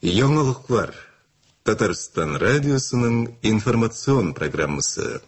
Яңалыклар. Татарстан радиосының информацион программасы.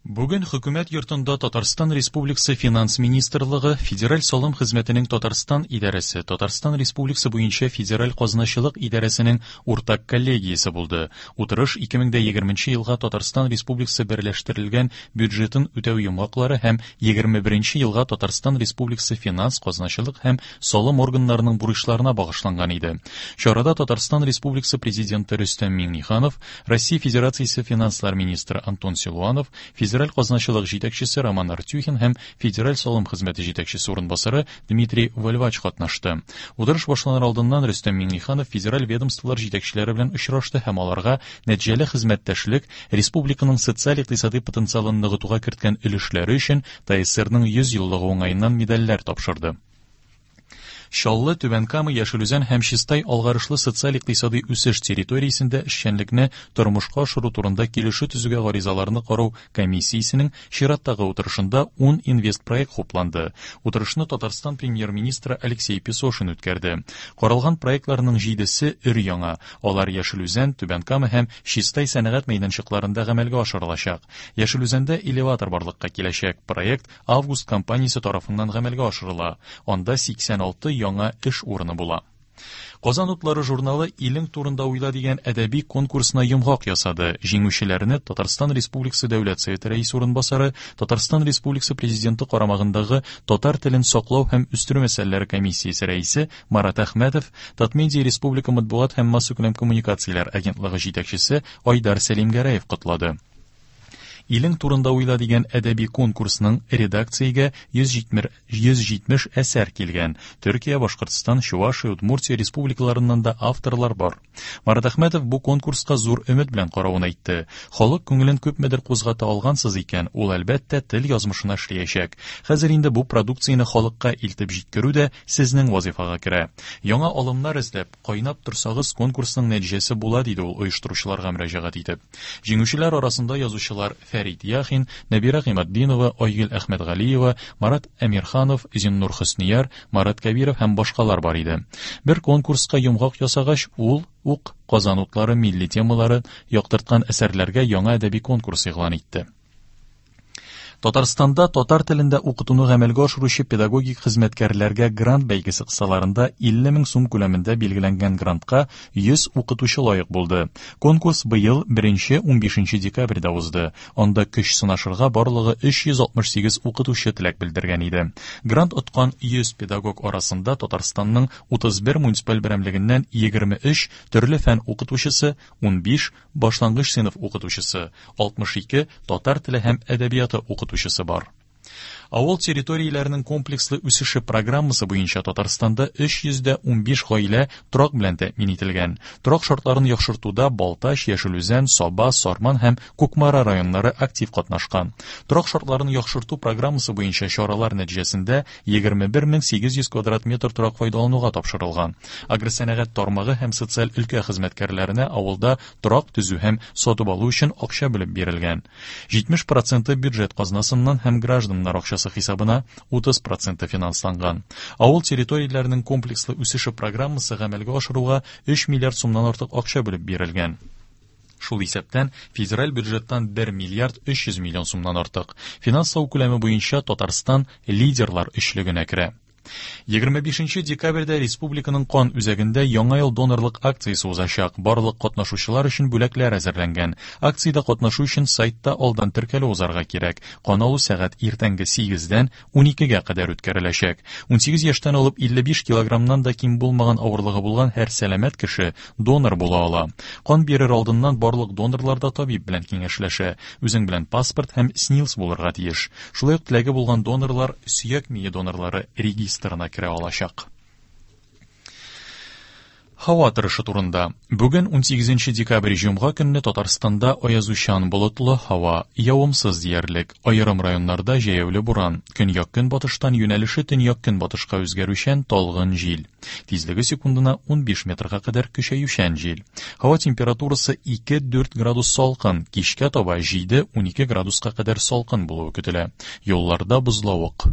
Бүген Хөкүмәт йортында Татарстан Республикасы Финанс министрлыгы, Федераль салым хезмәтенең Татарстан идарәсе, Татарстан Республикасы буенча Федераль казначылык идарәсенең уртак коллегиясе булды. Утырыш 2020 елга Татарстан Республикасы берләштерелгән бюджетын үтәү йомгаклары һәм 21 елга Татарстан Республикасы финанс, казначылык һәм салым органнарының бурычларына багышланган иде. Чарада Татарстан Республикасы Президенты Рөстәм Миңнеханов, Россия Федерациясе финанслар министры Антон Силуанов, Федераль казначылык җитәкчесе Роман Артюхин һәм Федераль салым хезмәте җитәкчесе урынбасары Дмитрий Вольвач катнашты. Утырыш башланыр алдыннан Рөстәм Миңнеханов федераль ведомстволар җитәкчеләре белән очрашты һәм аларга нәтиҗәле хезмәттәшлек, республиканың социаль-икътисадый потенциалын ныгытуга керткән өлешләре өчен ТАССРның 100 еллыгы уңаеннан медальләр тапшырды. Чаллы, Түбән Кама, Яшел Үзән һәм Чистай алгарышлы социаль-икътисадый үсеш территориясендә эшчәнлекне тормышка ашыру турында килешү төзүгә гаризаларны карау комиссиясенең чираттагы утырышында 10 инвестпроект хупланды. Утырышны Татарстан премьер-министры Алексей Песошин үткәрде. Каралган проектларның җидесе өр-яңа. Алар Яшел Үзән, Түбән Кама һәм Чистай сәнәгать мәйданчыкларында гамәлгә ашырылачак. Яшел Үзәндә элеватор барлыкка киләчәк. Проект Август компаниясе тарафыннан гамәлгә ашырыла, анда 86 яңа эш урыны була. Казан утлары журналы Илең турында уйла дигән әдәби конкурсына йомгак ясады. Җиңүчеләрне Татарстан Республикасы Дәүләт Советы рәисе урынбасары, Татарстан Республикасы Президенты карамагындагы татар телен саклау һәм үстерү мәсьәләләре комиссиясе рәисе Марат Әхмәтов, Татмедиа республика матбугат һәм массакүләм коммуникацияләр агентлыгы җитәкчесе Айдар Сәлимгәрәев котлады. Илең турында уйла дигән әдәби конкурсның редакциягә 170 әсәр килгән. Төркия, Башкортстан, Чувашия, Удмуртия республикаларыннан да авторлар бар. Марат Әхмәтов бу конкурска зур өмет белән каравын әйтте. Халык күңелен күпмедер кузгата алгансыз икән, ул әлбәттә тел язмышына эшләячәк. Хәзер инде бу продукцияне халыкка илтеп җиткерү дә сезнең вазифага керә. Яңа алымнар эзләп, кайнап торсагыз, конкурсның нәтиҗәсе була, диде ул оештыручыларга мөрәҗәгать итеп. Җиңүчеләр арасында язучылар Фәрит Яхин, Нәбирә Гыйматдинова, Айгөл Әхмәтгалиева, Марат Әмирханов, Зиннур Хөснияр, Марат Кәбиров һәм башкалар бар иде. Бер конкурска йомгак ясагач, ул ук Казан утлары милли темалары яктырткан әсәрләргә яңа әдәби конкурс игълан итте. Татарстанда татар телендә укытуны гамәлгә ашыручы педагогик хезмәткәрләргә грант бәйгесе кысаларында 50 мең сум күләмендә билгеләнгән грантка 100 укытучы лаек булды. Конкурс быел 1-15 декабрьдә узды. Анда көч сынашырга барлыгы 368 укытучы теләк белдергән иде. Грант откан 100 педагог арасында Татарстанның 31 муниципаль берәмлегеннән 23 төрле фән укытучысы, 15 башлангыч сыйныф укытучысы, 62 татар теле һәм әдәбияты укытучысы бар. Авыл территорияләренең комплекслы үсеше программасы буенча Татарстанда 315 гаилә торак белән тәэмин ителгән. Торак шартларын яхшыртуда Балтач, Яшел Үзән, Саба, Сарман һәм Кукмара районнары актив катнашкан. Торак шартларын яхшырту программасы буенча чаралар нәтиҗәсендә 21800 квадрат метр торак файдалануга тапшырылган. Агросәнәгать тармагы һәм социаль өлкә хезмәткәрләренә авылда торак төзү һәм сатып алу өчен акча бүлеп бирелгән. 70 проценты бюджет казнасыннан һәм гражданнар акчасы хисабына 30 проценты финансланган. Авыл территорияләренең комплекслы үсеше программасы гамәлгә ашыруга 3 миллиард сумнан артык акча бүлеп бирелгән. Шул исәптән федераль бюджеттан 1 миллиард 300 миллион сумнан артык. Финанслау күләме буенча Татарстан лидерлар өчлегенә керә. 25 декабрьдә республиканың кан үзәгендә Яңа ел донорлык акциясе узачак. Барлык катнашучылар өчен бүләкләр әзерләнгән. Акциядә катнашу өчен сайтта алдан теркәлү узарга кирәк. Кан алу сәгать иртәнге 8-дән 12-гә кадәр үткәреләчәк. 18 яшьтән алып 55 килограммнан да ким булмаган авырлыгы булган һәр сәламәт кеше донор була ала. Кан бирер алдыннан барлык донорлар да табиб белән киңәшләшә. Үзең белән паспорт һәм СНИЛС булырга тиеш. Шулай ук теләге булган донорлар сөяк мие донорлары регистрына керә алачак. Һава торышы турында. Бүген 18 декабрь җомга көнне Татарстанда аязучан болытлы һава, явымсыз диярлек. Аерым районнарда җәяүле буран. Көньяк-көнбатыштан юнәлеше төньяк-көнбатышка үзгәрүчән талгын җил. Тизлеге секундына 15 метрга кадәр көчәючән җил. Һава температурасы 2-4 градус салкын, кичкә таба 7-12 градуска кадәр салкын булуы көтелә. Юлларда бозлавык.